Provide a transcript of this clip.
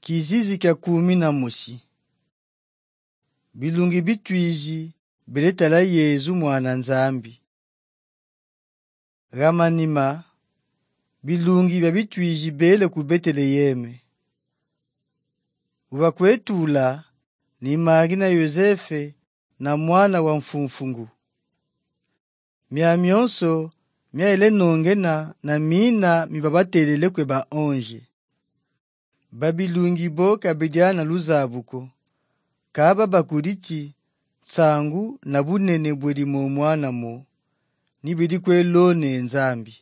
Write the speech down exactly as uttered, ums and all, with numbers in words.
Kizizi kya kumi na musi. Bilungi bitwiji biletala Yezu mwana Nzambi. Ramanima bilungi bya bitwiji bele ku Beteleheme. Ubakwetula ni Mari na Yosefe na mwana wa mfumfungu. Mia myonso myaele nongena na mina mibabatelele kwe ba onje. Babilungi bo kabidiana luzabuko. Kaba bakuriti tsangu na bunene bweli mu mwana mo. Nibidi kwe lone Nzambi.